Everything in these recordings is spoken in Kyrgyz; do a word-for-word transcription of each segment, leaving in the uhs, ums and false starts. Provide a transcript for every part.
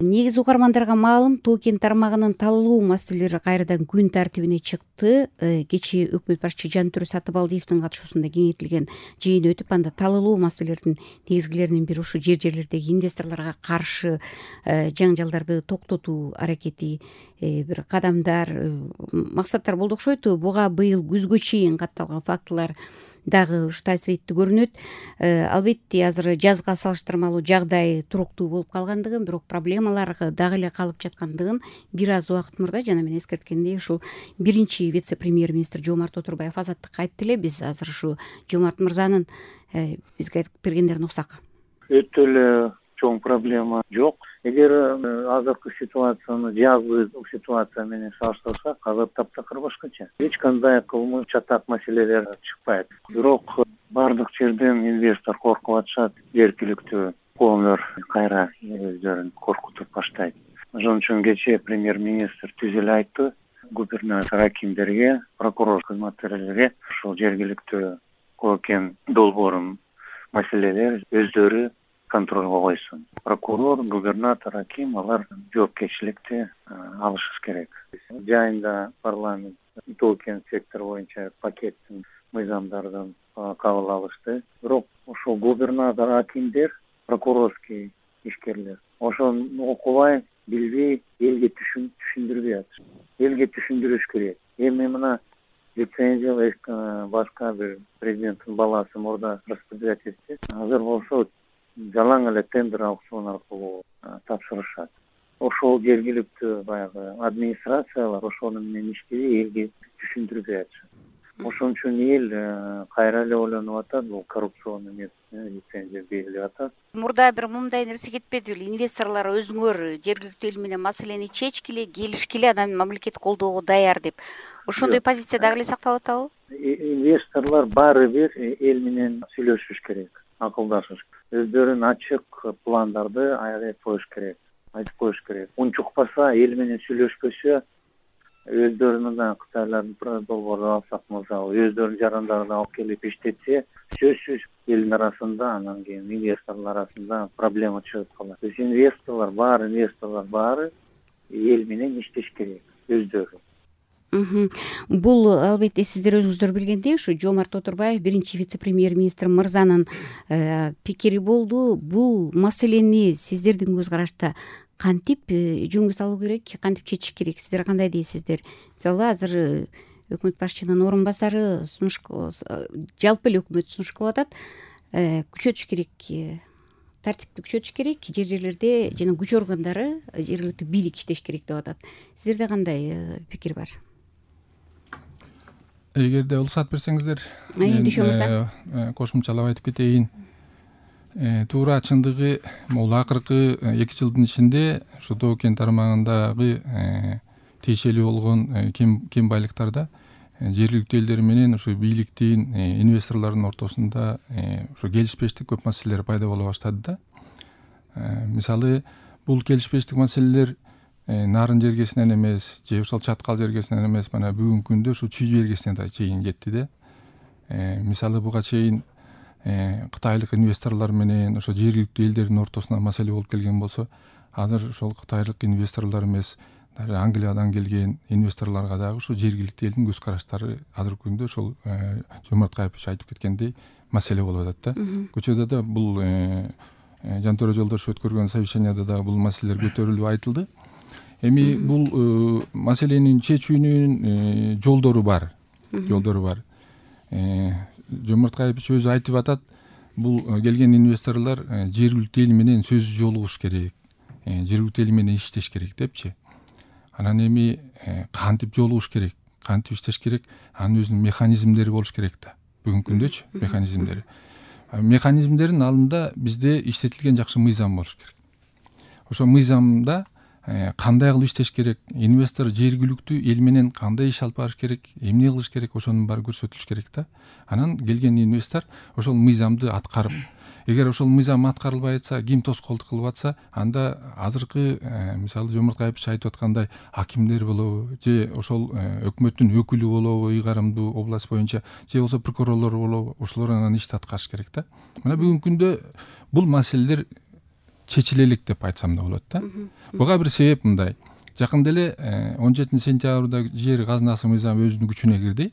Негизи угармандарга маалым, Тоо-Кен тармагынын талоо маселелери кайрадан күн тартибине чыкты. Кечээ өкмөт башчы Жантөре Сатыбалдиевдин катышуусунда кеңейтилген жыйын өтүп, анда талоо маселелердин негизгилеринин бири ушу жер жерлердеги инвесторлорго каршы жаңжалдарды токтотуу аракети, бир кадамдар, максаттар болду окшойт. Буга быйыл күзгө чейин катталган фактылар дагы ушу таасир этти көрүнөт. Албетте азыр жазга салыштырмалуу жагдай туруктуу болуп калгандыгын, бирок проблемалар дагы эле калып жаткандыгын бир аз убакыт мурда жана мен эскерткендей ушул биринчи вице-премьер-министр Жомарт Отурбаев азаттыкка айтты эле. Биз азыр ушу Жомарт мырзанын бизге айтып бергендерин уксак. Өтө эле чоң проблема жок. Эгер азыркы ситуацияны жазгы ситуация менен салыштырсак, азыр таптакыр башкача. Эч кандай кылмыш чатак маселелер чыкпайт. Бирок бардык жерден инвестор коркуп атышат, эркиликтүү коомдор кайра өздөрүн коркутуп баштайт. Ошон үчүн кечээ премьер-министр түз эле айтты, губернатор акимдерге, прокурор кызматкерлерге ушул жергиликтүү Тоо-Кен долбоорун маселелер өздөрү контролго койсун. Прокурор, губернатор, аким алар жоопкерчиликти алышы керек. Жайында парламент Тоо-Кен сектор боюнча пакеттин мыйзамдарын кабыл алышты. Бирок ошол губернатор, акимдер, прокурорский ишкерлер ошону окубай, билбей, элге түшүндүрбөй атышат. Элге түшүндүрүш керек. Эми мына лицензия башка бир президенттин баласы мурда распределять этти. Азыр болсо жалаң эле тендер аукцион аркылуу тапшырышат. Ошол жергиликтүү баягы администрациялар ошону менен иштебей, элге түшүндүрбөй атышат. Ошон үчүн эл кайра эле ойлонуп атат, бул коррупционный лицензия берилип атат. Мурда бир мындай нерсе кетпеди беле? Инвесторлор өзүңөр жергиликтүү эл менен маселени чечкиле, келишкиле, анан мамлекет колдоого даяр деп. Ошондой позиция дагы эле сакталып атабы? Инвесторлор баары бир эл менен сүйлөшүш керек, акылдашыш. Өздөрүнүн ачык пландарды айтып коюш керек, айтып коюш керек. Унчукпаса, эл менен сүйлөшпөсө, өздөрүнүн да Кытайлардын долбоорун алсак мисалы, өздөрүнүн жарандарын алып келип иштетсе, сөзсүз элдин арасында, анан кийин инвесторлор арасында проблема чыгып калат. Биз инвесторлор баары, инвесторлор баары эл менен иштеш керек, өздөрү. Бул албетте сиздер өзүңүздөр билгендей, ушу Жомарт Отурбаев биринчи вице-премьер-министр мырзанын пикири болду. Бул маселени сиздердин көз карашта кантип жөнгө салуу керек, кантип чечиш керек? Сиздер кандай дейсиздер? Мисалы азыр өкмөт башчынын орун басары сунуш, жалпы эле өкмөт сунуш кылып атат, күчөтүш керек, тартипти күчөтүш керек, жер жерлерде жана күч органдары, жергиликтүү бийлик иштеш керек деп атат. Сиздерде кандай пикир бар? Эгерде уруксат берсеңиздер, мен кошумчалап айтып кетейин. Туура чындыгы, бул акыркы эки жылдын ичинде ушу Тоо-Кен тармагындагы тиешелүү болгон кем байлыктарда жергиликтүү элдер менен ушу бийликтин, инвесторлордун ортосунда ушу келишпештик көп маселелер пайда боло баштады да. Мисалы, бул келишпештик маселелер нарын жергесинен эмес, же ошол чаткал жергесинен эмес, мына бүгүнкү күндө ушу чүй жергесине да чейин жетти да. Мисалы, буга чейин кытайлык инвесторлор менен ошо жергиликтүү элдердин ортосунда маселе болуп келген болсо, азыр ошол кытайлык инвесторлор эмес, Англиядан келген инвесторлорго дагы ушу жергиликтүү элдин көз караштары азыркы күндө ошол Жомарт Кайыпович айтып кеткендей маселе болуп атат да. Көчөдө да бул Жантөре Жолдошев өткөргөн совещанияда да бул маселелер көтөрүлүп айтылды. Эми бул маселенин чечүүнүн жолдору бар. Жолдору бар. Жомарт Кайыпович өзү айтып атат, бул келген инвесторлор жергиликтүү эл менен сөз жолугуш керек, жергиликтүү эл менен иштеш керек депчи. Анан эми кантип жолугуш керек, кантип иштеш керек, анын өзүнүн механизмдери болуш керек да. Бүгүнкү күндөчү механизмдери. Механизмдердин алдында бизде иштетилген жакшы мыйзам болуш керек. Ошо мыйзамда кандай кылып иштеш керек, инвестор жергиликтүү эл менен кандай иш алып барыш керек, эмне кылыш керек, ошонун баары көрсөтүлүш керек да. Анан келген инвестор ошол мыйзамды аткарып, эгер ошол мыйзам аткарылбай атса, ким тоскоолдук кылып атса, анда азыркы мисалы Жомарт Кайыпович айтып аткандай акимдер болобу, же ошол өкмөттүн өкүлү болобу, ыйгарымдуу область боюнча, же болбосо прокурорлор болобу, ошолор анан ишти аткарыш керек да. Мына бүгүнкү күндө бул маселелер чечиле элек деп айтсам да болот да. Буга бир себеп мындай. Жакында эле он жетинчи сентябрда жер казынасы мыйзамы өзүнүн күчүнө кирди.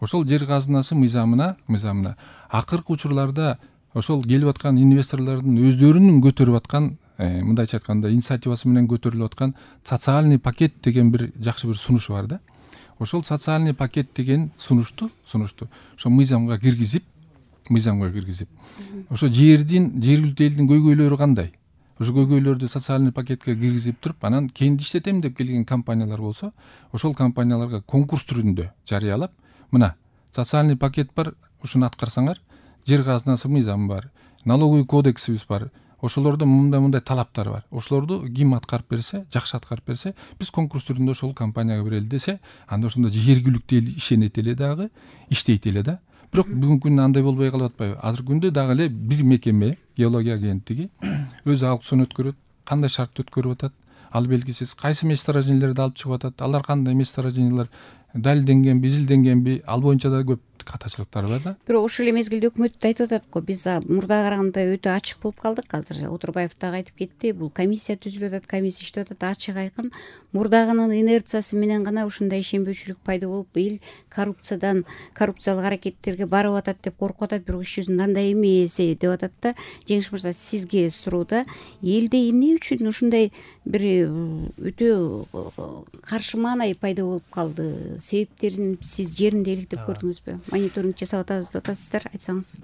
Ошол жер казынасы мыйзамына мыйзамына акыркы учурларда ошол келип аткан инвесторлордун өздөрүнүн көтөрүп аткан, мындайча айтканда, инициативасы менен көтөрүлүп аткан социальный пакет деген бир жакшы бир сунушу бар да. Ошол социальный пакет деген сунушту, сунушту ошо мыйзамга киргизип, мыйзамга киргизип, ошо жердин, жергиликтүү элдин көйгөйлөрү кандай? Ошо көйгөйлөрдү социальный пакетке киргизип туруп, анан кенди иштетем деп келген компаниялар болсо, ошол компанияларга конкурс түрүндө жарыялап, мына социальный пакет бар, ушуну аткарсаңар, жер казынасы мыйзамы бар, налоговый кодексибиз бар, ошолордо мындай-мындай талаптар бар. Ошолорду ким аткарып берсе, жакшы аткарып берсе, биз конкурс түрүндө ошол компанияга берели десе, анда ошондо жергиликтүү эл ишенет эле дагы, иштейт эле да. Бирок бүгүнкү күндө андай болбой калып атпайбы? Азыркы күндө дагы эле бир мекеме, геология агенттиги өзү аукцион өткөрөт, кандай шартты өткөрүп атат, ал белгисиз, кайсы месторождениялерди алып чыгып атат, алар кандай месторождениялар, далилденгенби, изилденгенби, ал боюнча да көп катачылыктар бар да. Бирок ошол эле мезгилде өкмөт да айтып атат го, биз мурдага караганда өтө ачык болуп калдык. Азыр Отурбаев дагы айтып кетти, бул комиссия түзүлүп атат, комиссия иштеп атат, ачык айкын. Мурдагынын инерциясы менен гана ушундай ишенбөөчүлүк пайда болуп, эл коррупциядан, коррупциялык аракеттерге барып атат деп коркуп атат, бирок иш жүзүндө андай эмес деп атат да. Жеңиш мырза, сизге суроуда, элде эмне үчүн ушундай бир өтө каршы маанай пайда болуп калды? Себептерин сиз жеринде иликтеп көрдүңүзбү? Мониторинг жасап атабыз деп атасыздар, айтсаңыз.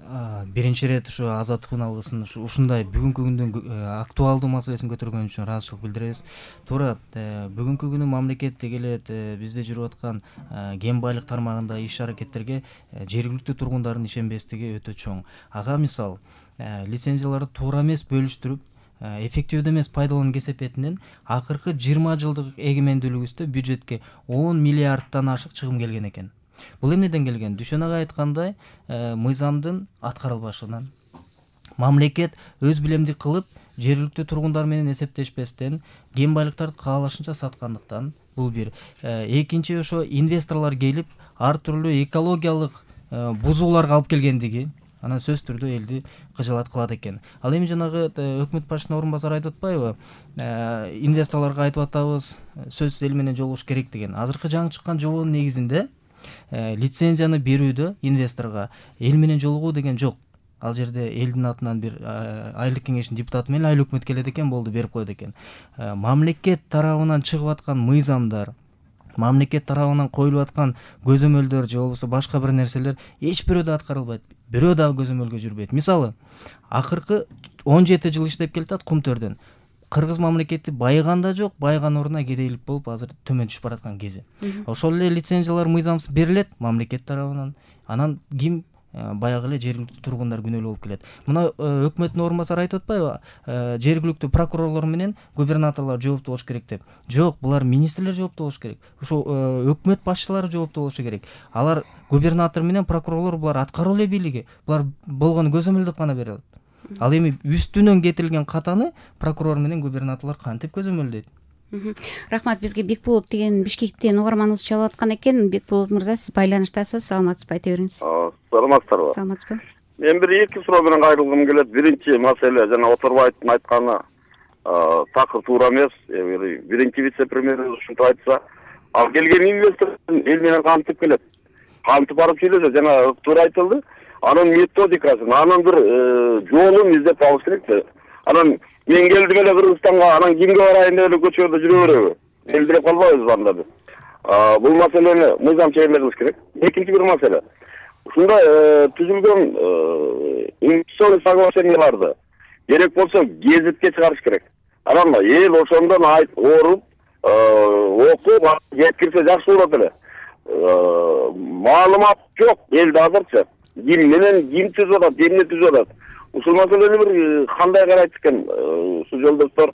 Биринчи ирет ушу Азаттык үналгысын ушундай бүгүнкү күндүн актуалдуу маселесин көтөргөн үчүн ыраазычылык билдиребиз. Туура, бүгүнкү күнү мамлекет дегелет бизде жүрүп аткан кен байлык тармагында иш аракеттерге жергиликтүү тургундардын ишенбестиги өтө чоң. Ага мисал, лицензияларды туура эмес бөлүштүрүп, эффективдүү эмес пайдалануу кесепетинен акыркы жыйырма жылдык эгемендүүлүгүбүздө бюджетке он миллиарддан ашык чыгым келген экен. Бул эмнеден келген? Дүшөн ага айткандай, мыйзамдын аткарылбашынан, мамлекет өз билемдик кылып, жергиликтүү тургундар менен эсептешпестен кен байлыктарды каалашынча саткандыктан, бул бир. Экинчи, ошо инвесторлор келип, ар түрлүү экологиялык бузууларга алып келгендиги, анан сөз түрдө элди кыжалат кылат экен. Ал эми жанагы өкмөт башчысынын орун басары айтып атпайбы? Инвесторлорго айтып атабыз, сөз эл менен жолугуш керек деген. Азыркы жаңы чыккан жобонун негизинде лицензияны берүүдө инвесторго эл менен жолугуу деген жок. Ал жерде элдин атынан бир айлык кеңештин депутаты менен айыл өкмөт келет экен, болду, берип коет экен. Мамлекет тарабынан чыгып аткан мыйзамдар, мамлекет тарабынан коюлуп аткан көзөмөлдөр же болбосо башка бир нерселер эч бирөө да аткарылбайт, бирөө дагы көзөмөлгө жүрбөйт. Мисалы, акыркы он жети жыл иштеп келатат Кум төрдөн. Кыргыз мамлекети байыган да жок, байыган ордуна кедейлик болуп азыр төмөн түшүп бараткан кези. Ошол эле лицензиялар мыйзамсыз берилет мамлекет тарабынан. Анан ким баягы эле жергиликтүү тургундар күнөөлүү болуп келет. Мына өкмөттүн орун басары айтып атпайбы? Жергиликтүү прокурорлор менен губернаторлор жооптуу болуш керек деп. Жок, булар министрлер жооптуу болуш керек. Ошо өкмөт башчылары жооптуу болушу керек. Алар губернатор менен прокурорлор, булар аткаруу эле бийлиги. Булар болгону көзөмөлдөп гана бере алат. Ал эми үстүнөн кетирилген катаны прокурор менен губернаторлор кантип көзөмөлдөйт? Рахмат, бизге Бекболот деген Бишкектен угарманыбыз чалып аткан экен. Бекболот мырза, сиз байланыштасыз, саламатсызбы, айта бериңиз. Саламатсыздарбы? Саламатсызбы. Мен бир эки суроо менен кайрылгым келет. Биринчи маселе, жана Отурбаевдин айтканы такыр туура эмес. Биринчи вице-премьер ушинтип айтса, ал келген инвестор эл менен кантип келет? Кантип барып сүйлөшөт? Жана туура айтылды. Анын методикасын, анын бир жолун издеп алыш керек. Анан мен келдим эле Кыргызстанга, анан кимге барайын деп эле көчөлөрдө жүрө береби? Эл билип калбайбыз анда биз. Бул маселени мыйзам чегиндириш керек. Экинчи бир маселе. Ушундай түзүлгөн инвестиционный соглашенияларды керек болсо гезитке чыгарыш керек. Анан эл ошондон айт ооруп, окуп, жеткирсе жакшы болот эле. Маалымат жок элде азырчы. Ким менен ким түзүп атат, эмне түзүп атат? Ушул маселени бир кандай карайт экен ушул жолдоштор?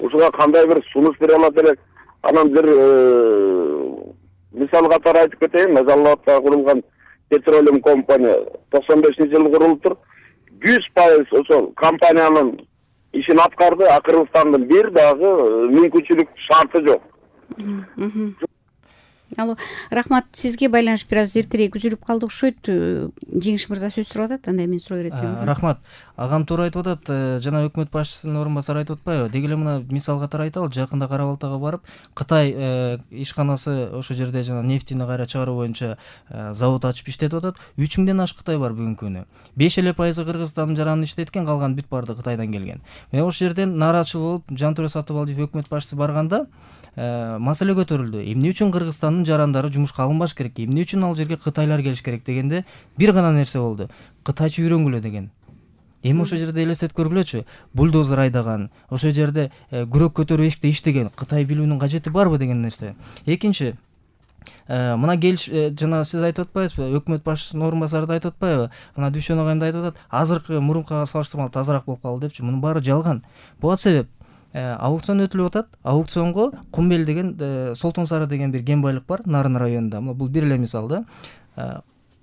Ушуга кандай бир сунуш бере алат элек? Анан бир мисал катары айтып кетейин, Мезаллатта курулган Petroleum компания токсон бешинчи жылы курулуптур. жүз пайыз ошол компаниянын ишин аткарды, а Кыргызстандын бир дагы мүмкүнчүлүк шарты жок. Алло, рахмат, сизге байланыш бир аз эртерээк үзүлүп калды окшойт. Жеңиш мырза сөз сурап атат, анда мен суроо берет элем. Рахмат. агам туура айтып атат. Жана өкмөт башчысынын орун басары айтып атпайбы? Деги эле мына мисал катары айталы, жакында Кара Балтага барып, Кытай ишканасы ошол жерде жана нефтини кайра чыгаруу боюнча завод ачып иштетип атат. үч миңден ашык Кытай бар бүгүнкү күнү. беш эле пайызы Кыргызстандын жаранын иштеткен, калган бүт баардыгы Кытайдан келген. Мен ошол жерден нааразычыл болуп, Жантөре Сатыбалдиев өкмөт башчысы барганда маселе көтөрүлдү. Эмне үчүн Кыргызстандын жарандары жумушка алынбаш керек? Эмне үчүн ал жерге кытайлар келиш керек дегенде бир гана нерсе болду. Кытайча үйрөнгүлө деген. Эми ошол жерде элестетип көргүлөчү. Бульдозер айдаган, ошол жерде күрөк көтөрүп эшикте иштеген, Кытай билүүнүн кажети барбы деген нерсе. Экинчи, мына келиш жана сиз айтып атпайсызбы, өкмөт башчысынын орун басары да айтып атпайбы? Мына Дүйшөн агайым да айтып атат, азыркы мурункуга салыштырмалуу тазараак болуп калды депчи. Мунун баары жалган. Буга себеп аукцион өтүлүп атат. Аукционго Кумбел деген, Солтон Сары деген бир кен байлык бар Нарын районунда. Бул бир эле мисал да.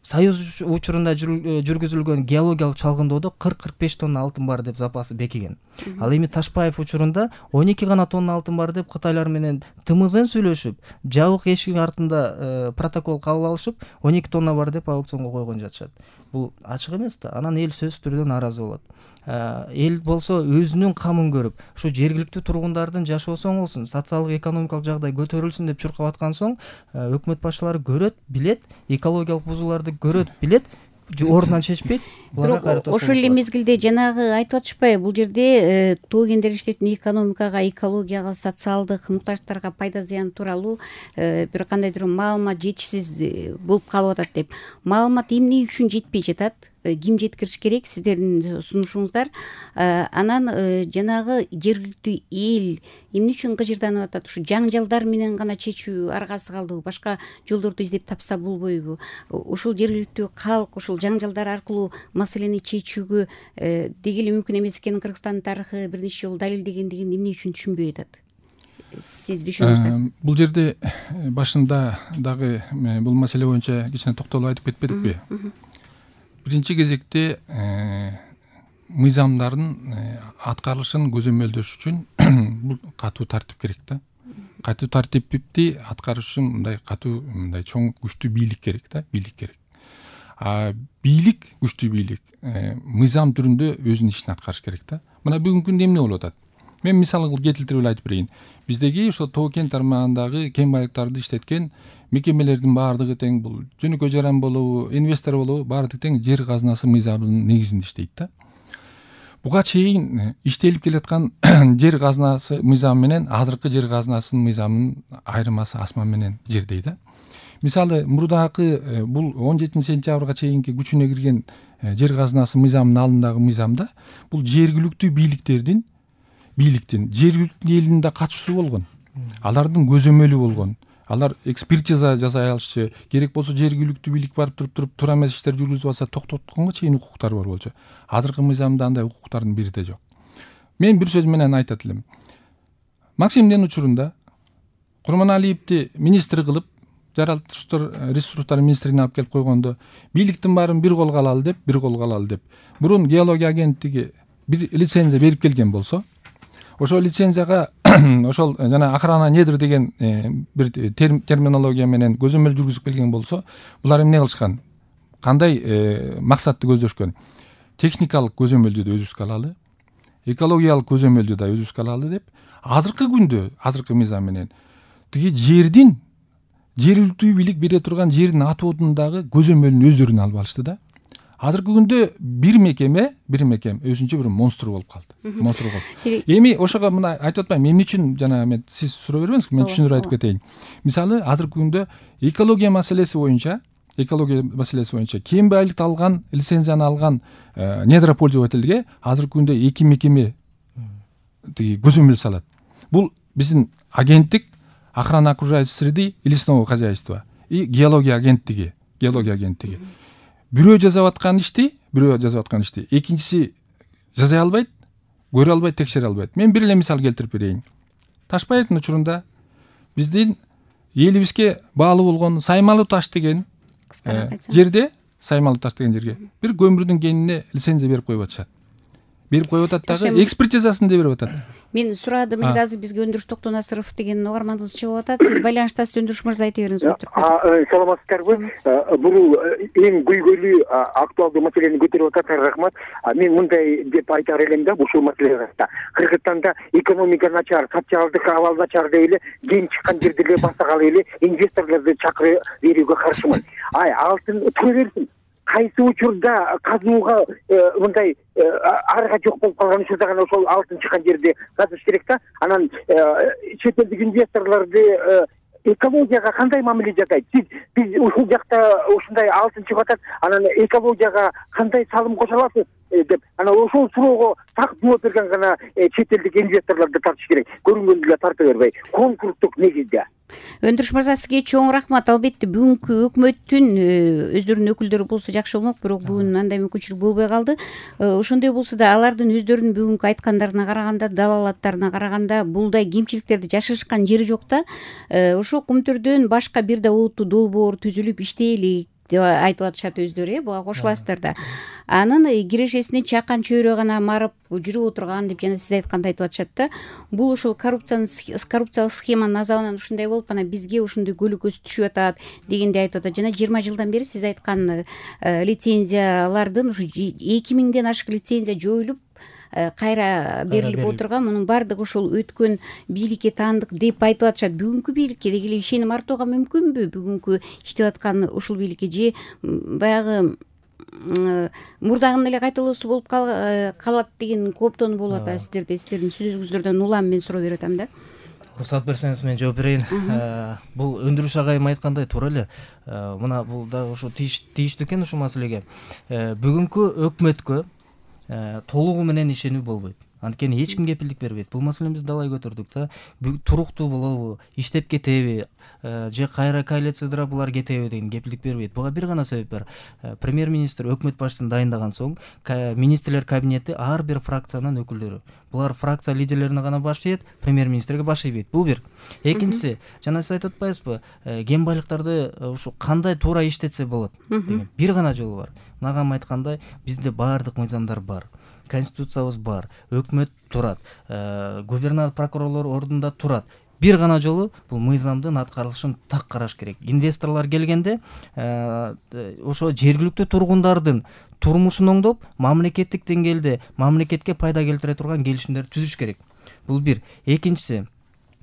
Союз учурунда жүргүзүлгөн геологиялык чалгындоодо кырк кырк беш тонна алтын бар деп запасы бекиген. Ал эми Ташпаев учурунда он эки гана тонна алтын бар деп Кытайлар менен тымызын сүйлөшүп, жабык эшик артында протокол кабыл алышып, он эки тонна бар деп аукционго койгон жатышат. Бул ачык эмес да. Анан эл сөзсүз түрдө нааразы болот. Эл болсо өзүнүн камын көрүп, ушу жергиликтүү тургундардын жашоосу оңолсун, социалдык экономикалык жагдай көтөрүлсүн деп чуркап аткан соң, өкмөт башчылары көрөт, билет, экологиялык бузууларды көрөт, билет, ордунан чечпейт. Бирок ошол эле мезгилде жанагы айтып атышпайбы, бул жерде тоо кендери иштетүүнүн экономикага, экологияга, социалдык муктаждарга пайда зыяны тууралуу бир кандайдыр маалымат жетишсиз болуп калып атат деп. Маалымат эмне үчүн жетпей жатат? Ким жеткириш керек? Сиздердин сунушуңуздар. Анан жанагы жергиликтүү эл эмне үчүн кыжырданып атат? Ушу жаңжалдар менен гана чечүү аргасы калдыбы? Башка жолдорду издеп тапса болбойбу? Ушул жергиликтүү калк ушул жаңжалдар аркылуу маселени чечүүгө деги эле мүмкүн эмес экенин Кыргызстандын тарыхы бир нече жолу далилдегендигин эмне үчүн түшүнбөй атат? Сиз түшүнөсүңүз. Бул жерде башында дагы бул маселе боюнча кичине токтолуп айтып кетпедикпи? Биринчи кезекте мыйзамдардын аткарылышын көзөмөлдөш үчүн бул катуу тартип керек да. Катуу тартипти аткарыш үчүн мындай катуу, мындай чоң күчтүү бийлик керек да, бийлик керек. А бийлик, күчтүү бийлик мыйзам түрүндө өзүнүн ишин аткарыш керек да. Мына бүгүнкү күндө эмне болуп атат? Мен мисал кылып кетилтирип эле айтып берейин. Биздеги ошо тоо кен тармагындагы кен байлыктарды иштеткен мекемелердин баардыгы тең, бул жөнөкөй жаран болобу, инвестор болобу, баардыгы тең жер казынасы мыйзамынын негизинде иштейт да. Буга чейин иштелип келаткан жер казынасы мыйзамы менен азыркы жер казынасынын мыйзамынын айырмасы асман менен жердей да. Мисалы, мурдагы бул он жетинчи сентябрга чейинки күчүнө кирген жер казынасы мыйзамынын алдындагы мыйзамда бул жергиликтүү бийликтердин бийликтин жергиликтүү элдин да катышуусу болгон. Алардын көзөмөлү болгон. Алар экспертиза жасай алышчу, керек болсо жергиликтүү бийлик барып туруп туруп туура эмес иштер жүргүзүп алса токтотконго чейин укуктары бар болчу. Азыркы мыйзамда андай укуктардын бири да жок. Мен бир сөз менен айтат элем. Максимдин учурунда Курманалиевди министр кылып, жаратылыштар ресурстар министрине алып келип койгондо, бийликтин баарын бир колго алалы деп, бир колго алалы деп. Мурун геология агенттиги бир лицензия берип келген болсо, ошол лицензияга ошол жана охрана недр деген бир терминология менен көзөмөл жүргүзүп келген болсо, булар эмне кылышкан? Кандай максатты көздөшкөн? Техникалык көзөмөлдү да өзүбүзгө алалы, экологиялык көзөмөлдү да өзүбүзгө алалы деп, азыркы күндө, азыркы мыйзам менен тиги жердин жергиликтүү бийлик бере турган жердин атоодундагы көзөмөлүн өздөрүнө алып алышты да. Азыркы күндө бир мекеме, бир мекем өзүнчө бир монстр болуп калды. Монстр болуп. Эми ошого мына айтып атпайм, эмне үчүн жана мен сиз суроо бербеңизби, мен түшүндүрүп айтып кетейин. Мисалы, азыркы күндө экология маселеси боюнча, экология маселеси боюнча кен байлыкты алган, лицензияны алган недропользовательге азыркы күндө эки мекеме тиги көзөмөл салат. Бул биздин агенттик охрана окружающей среды и лесного хозяйства и геология агенттиги, геология агенттиги. Бирөө жасап аткан ишти, бирөө жасап аткан ишти, экинчиси жасай албайт, көрө албайт, текшере албайт. Мен бир эле мисал келтирип берейин. Ташпаевдин учурунда биздин элибизге баалуу болгон Саймалы таш деген жерде, Саймалы таш деген жерге бир көмүрдүн кенине лицензия берип коюп атышат. берип коюп атат дагы, экспертизасын да берип атат. Мен сурадым, эле азыр бизге Өндүрүш Токтонасыров деген угарманыбыз чыгып атат. Сиз байланыштасыз, Өндүрүш мырза, айта бериңиз. Саламатсыздарбы? Бул эң көйгөйлүү актуалдуу маселени көтөрүп атат. Рахмат. Мен мындай деп айтар элем да, ушул маселеге. Кыргызстанда экономика начар, социалдык абал начар деп эле кен чыккан жерде эле басагалы эле инвесторлорду чакырып берүүгө каршымын. Ай, алтын тура берсин. Кайсы учурда казууга мындай арга жок болуп калган учурда гана ошол алтын чыккан жерде казыш керек да. Анан чет элдик инвесторлорду экологияга кандай мамиле жасайт? Сиз биз ушул жакта ушундай алтын чыгып атат, анан экологияга кандай салым кошо аласыз деп, анан ошол суроого так жооп берген гана чет элдик инвесторлорду тартыш керек. Көрүнгөндү эле тарта бербей, конкурстук негизде. Өндүрүш мырза, сизге чоң рахмат. Албетте бүгүнкү өкмөттүн өздөрүнүн өкүлдөрү болсо жакшы болмок, бирок бүгүн андай мүмкүнчүлүк болбой калды. Ошондой болсо да алардын өздөрүнүн бүгүнкү айткандарына караганда, далалаттарына караганда булдай кемчиликтерди жашырышкан жери жок да. Ошо Кумтүрдөн башка бир да олуттуу долбоор түзүлүп иштейли деп айтып атышат өздөрү, э, буга кошуласыздар да. Анын кирешесине чакан чөйрө гана марып жүрүп отурган деп жана сиз айткандай айтып атышат да. Бул ушул коррупциянын коррупциялык схеманын азабынан ушундай болуп, анан бизге ушундой көлөкөсү түшүп атат дегендей айтып атат. Жана жыйырма жылдан бери сиз айткан лицензиялардын ушу эки миңден ашык лицензия жоюлуп кайра берилип отурган, мунун баардыгы ошол өткөн бийликке таандык деп айтып атышат. Бүгүнкү бийликке деги эле ишеним артууга мүмкүнбү? Бүгүнкү иштеп аткан ушул бийликке же баягы мурдагынын эле кайталоосу болуп калат деген кооптонуу болуп атат сиздерде? Сиздердин сөзүңүздөрдөн улам мен суроо берип атам да. Уруксат берсеңиз мен жооп берейин. Бул Өндүрүш агайым айткандай туура эле. Мына бул да ушу тийиштүү экен ушул маселеге. Бүгүнкү өкмөткө толугу менен ишенүү болбойт. Анткени эч ким кепилдик бербейт. Бул маселени биз далай көтөрдүк да. Туруктуу болобу, иштеп кетеби, же кайра коалициядыра булар кетеби деген кепилдик бербейт. Буга бир гана себеп бар. Премьер-министр өкмөт башчысын дайындаган соң, министрлер кабинети ар бир фракциянын өкүлдөрү. Булар фракция лидерлерине гана баш ийет, премьер-министрге баш ийбейт. Бул бир. Экинчиси, жана сиз айтып атпайсызбы, кен байлыктарды ушу кандай туура иштетсе болот деген бир гана жолу бар. Нагам айткандай, бизде баардык мыйзамдар бар. Конституциябыз бар, өкмөт турат, губернатор, прокурорлор ордунда турат. Бир гана жолу бул мыйзамдын аткарылышын так караш керек. Инвесторлор келгенде ошо жергиликтүү тургундардын турмушун оңдоп, мамлекеттик деңгээлде мамлекетке пайда келтире турган келишимдерди түзүш керек. Бул бир. Экинчиси,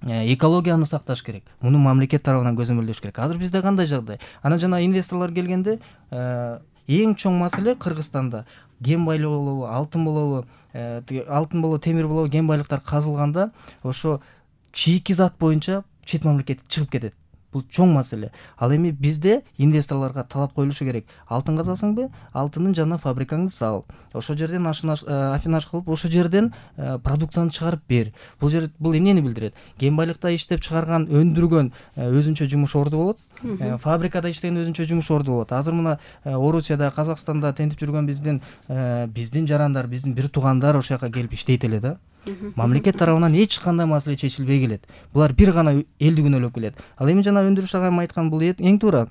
экологияны сакташ керек. Муну мамлекет тарабынан көзөмөлдөш керек. Азыр бизде кандай жагдай? Анан жана инвесторлор келгенде эң чоң маселе Кыргызстанда кен байлыгы болобу, алтын болобу, алтын болобу, темир болобу, кен байлыктар казылганда ошо чийки зат боюнча чет мамлекетке чыгып кетет. Бул чоң маселе. Ал эми бизде инвесторлорго талап коюлушу керек. Алтын казасыңбы? Алтынын жана фабрикаңды сал. Ошол жерден афинаж кылып, ошол жерден продукцияны чыгарып бер. Бул жер бул эмнени билдирет? Кен байлыкта иштеп чыгарган, өндүргөн өзүнчө жумуш орду болот. Фабрикада иштеген өзүнчө жумуш орду болот. Азыр мына Орусияда, Казакстанда тентип жүргөн биздин биздин жарандар, биздин бир туугандар ошол жака келип иштейт эле да. Мамлекет тарабынан эч кандай маселе чечилбей келет. Булар бир гана элди күнөөлөп келет. Ал эми жана Өндүрүш агайым айткан бул эң туура.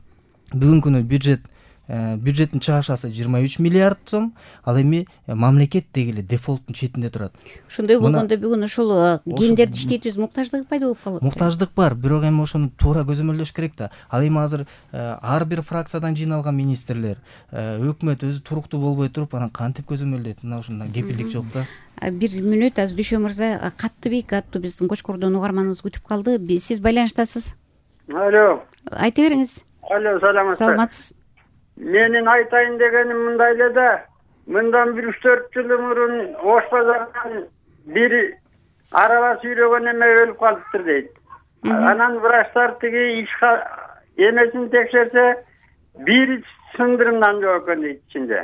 Бүгүнкү күнү бюджет бюджеттин чыгашасы жыйырма үч миллиард сом, ал эми мамлекет деги эле дефолттун четинде турат. Ошондой болгондо бүгүн ошол кендерди иштетүүбүз муктаждыгы пайда болуп калат. Муктаждык бар, бирок эми ошону туура көзөмөлдөш керек да. Ал эми азыр ар бир фракциядан жыйналган министрлер, өкмөт өзү туруктуу болбой туруп, анан кантип көзөмөлдөйт? Мына ушундан кепилдик жок да. Бир мүнөт азыр Дүшө мырза, Каттыбек аттуу биздин Кочкордон угарманыбыз күтүп калды. Сиз байланыштасыз. Алло. Айта бериңиз. Алло, саламатсызбы? Саламатсыз. Менин айтайын дегеним мындай эле да. Мындан бир үч төрт жыл мурун Ош базарынан бир араба сүйрөгөн эме өлүп калыптыр дейт. Анан врачтар тиги иш эмесин текшерсе, бир сындырымдан жок экен дейт ичинде.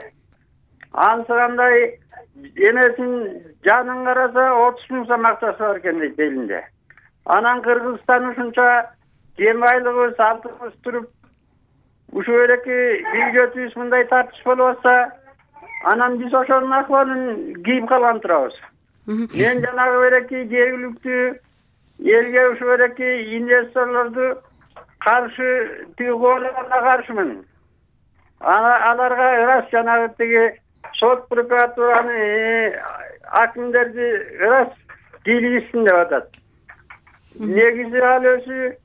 Ансырандай эмесин жанын караса отуз миң сом акчасы бар экен дейт элинде. Анан Кыргызстан ушунча кен байлыгыбыз, алтыныбыз туруп, ушу эреки бюджетибиз мындай тартыш болуп атса, анан биз ошонун акыбалын кийип калган турабыз. Мен жанагы эреки жергиликтүү элге ушу эреки инвесторлорду каршы тиги коолоgonga каршымын. Аларга ырас жанагы тиги сот прокуратураны акимдерди ырас кийлигишсин деп атат. Негизи ал өзү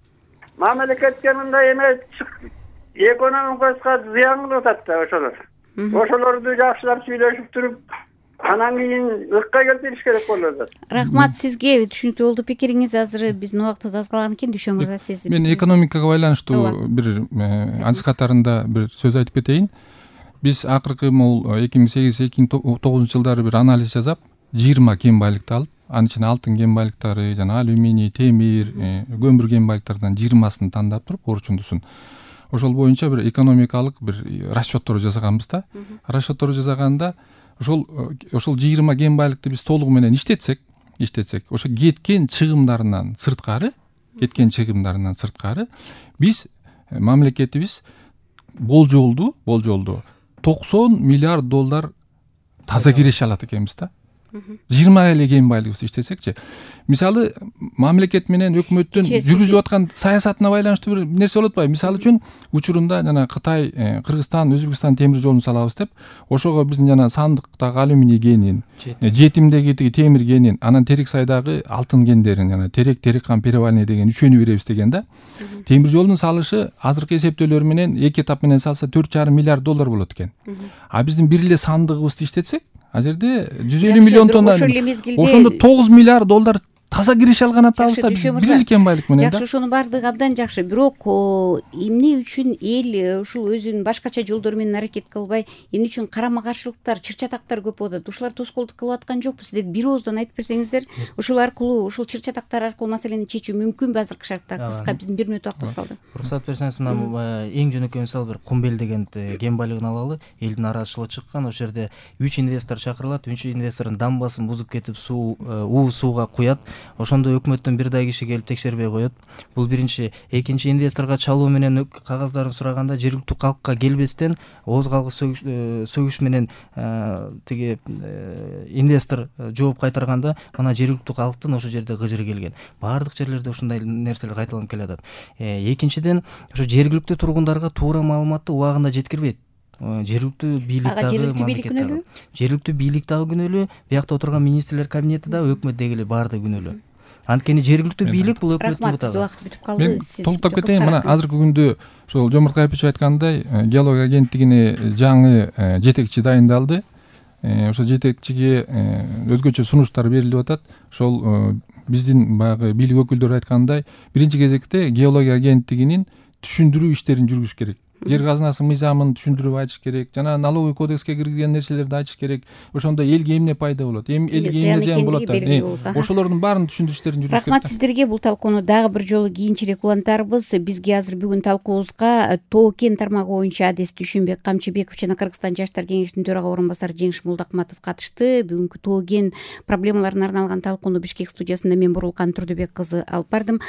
мамлекетке мындай эме экономикага зыян кылып атат да ошолор. Ошолорду жакшылап сүйлөшүп туруп, анан кийин ыкка келтириш керек болуп атат. Рахмат сизге, түшүнүктүү болду пикириңиз. Азыр биздин убактыбыз аз калган экен. Дүйшө мырза, сиз мен экономикага байланыштуу бир анча катарында бир сөз айтып кетейин. Биз акыркы могул эки миң сегиз эки миң тогузунчу жылдары бир анализ жасап, жыйырма кен байлыкты алып, анын ичинде алтын кен байлыктары, жана алюминий, темир, көмүр кен байлыктарынан жыйырмасын тандап туруп, орчундусун. Ошол боюнча бир экономикалык бир расчеттор жасаганбыз да. Расчеттор жасаганда ошол ошол жыйырма кен байлыкты биз толугу менен иштетсек, иштетсек, ошо кеткен чыгымдарынан сырткары, кеткен чыгымдарынан сырткары биз мамлекетибиз болжолду, болжолду токсон миллиард доллар таза киреше алат экенбиз да. жыйырма эле кен байлыгыбызды иштетсекчи. Мисалы, мамлекет менен өкмөттүн жүргүзүлүп аткан саясатына байланыштуу бир нерсе болот атпайбы? Мисалы үчүн, учурунда жана Кытай, Кыргызстан, Өзбекстан темир жолун салабыз деп, ошого биздин жана Сандыктагы алюминий кенин, Жетимдеги темир кенин, анан Терексайдагы алтын кендерин, жана Терек, Тереккан, Перевальный деген үчөөнү беребиз деген да. Темир жолдун салышы азыркы эсептөөлөр менен эки этап менен салса төрт жарым миллиард доллар болот экен. А биздин бир эле Сандыгыбызды иштетсек, ал жерде жүз элүү миллион тонна, ошондо тогуз миллиард доллар таза киреше алган атабыз да, бир эле кен байлык менен да. Жакшы, ошонун баардыгы абдан жакшы. Бирок эмне үчүн эл ушул өзүнүн башкача жолдор менен аракет кылбай, эмне үчүн карама-каршылыктар, чыр-чатактар көп болуп атат? Ушулар тоскоолдук кылып аткан жокпу? Сиздер бир ооздон айтып берсеңиздер, ушул аркылуу, ушул чыр-чатактар аркылуу маселени чечүү мүмкүнбү азыркы шартта? Кыска, биздин бир мүнөт убактыбыз калды. Уруксат берсеңиз, мына эң жөнөкөй мисал бир Кумбел деген кен байлыгын алалы. Элдин арачылыгы чыккан, ошол жерде үч инвестор чакырылат, үч инвестордун дамбасын бузуп кетип, суу, уу сууга куят. Ошондо өкмөттөн бир дай киши келип текшербей коет. Бул биринчи. Экинчи, инвесторго чалуу менен кагаздарын сураганда жергиликтүү калкка келбестен ооз калгыс сөгүш менен тиги инвестор жооп кайтарганда, мына жергиликтүү калктын ошол жерде гыжыры келген. Баардык жерлерде ушундай нерселер кайталанып келатат. Экинчиден, ошо жергиликтүү тургундарга туура маалыматты убагында жеткирбейт. Жергиликтүү бийлик дагы, мамлекет жергиликтүү бийлик дагы күнөөлүү, биякта отурган министрлер кабинети да, өкмөт дегеле баардыгы күнөөлүү. Анткени жергиликтүү бийлик бул өкмөттүн бутагы. Рахмат, убакыт бүтүп калды. Мен толуктап кетейин. Мына азыркы күндө ошол Жомарт Кайпичев айткандай, геология агенттигине жаңы жетекчи дайындалды. Ошол жетекчиге өзгөчө сунуштар берилип атат. Ошол биздин баягы бийлик өкүлдөрү айткандай, биринчи кезекте геология агенттигинин түшүндүрүү иштерин жүргүзүш керек. Жер казынасы мыйзамын түшүндүрүп айтыш керек, жана налоговый кодекске киргизген нерселерди айтыш керек. Ошондо элге эмне пайда болот, элге эмне зыян болот, ошолордун баарын түшүндүрүштөрүн жүргүзүш керек. Рахмат сиздерге. Бул талкууну дагы бир жолу кийинчерээк улантарбыз. Бизге азыр бүгүн талкуубузга Тоо кен тармагы боюнча адис Дүйшөнбек Камчыбеков жана Кыргызстан жаштар кеңешинин төрага орун басары Жеңиш Молдокматов катышты. Бүгүнкү Тоо кен проблемаларына арналган талкууну Бишкек студиясында мен Бурулкан Турдубек кызы алып бардым.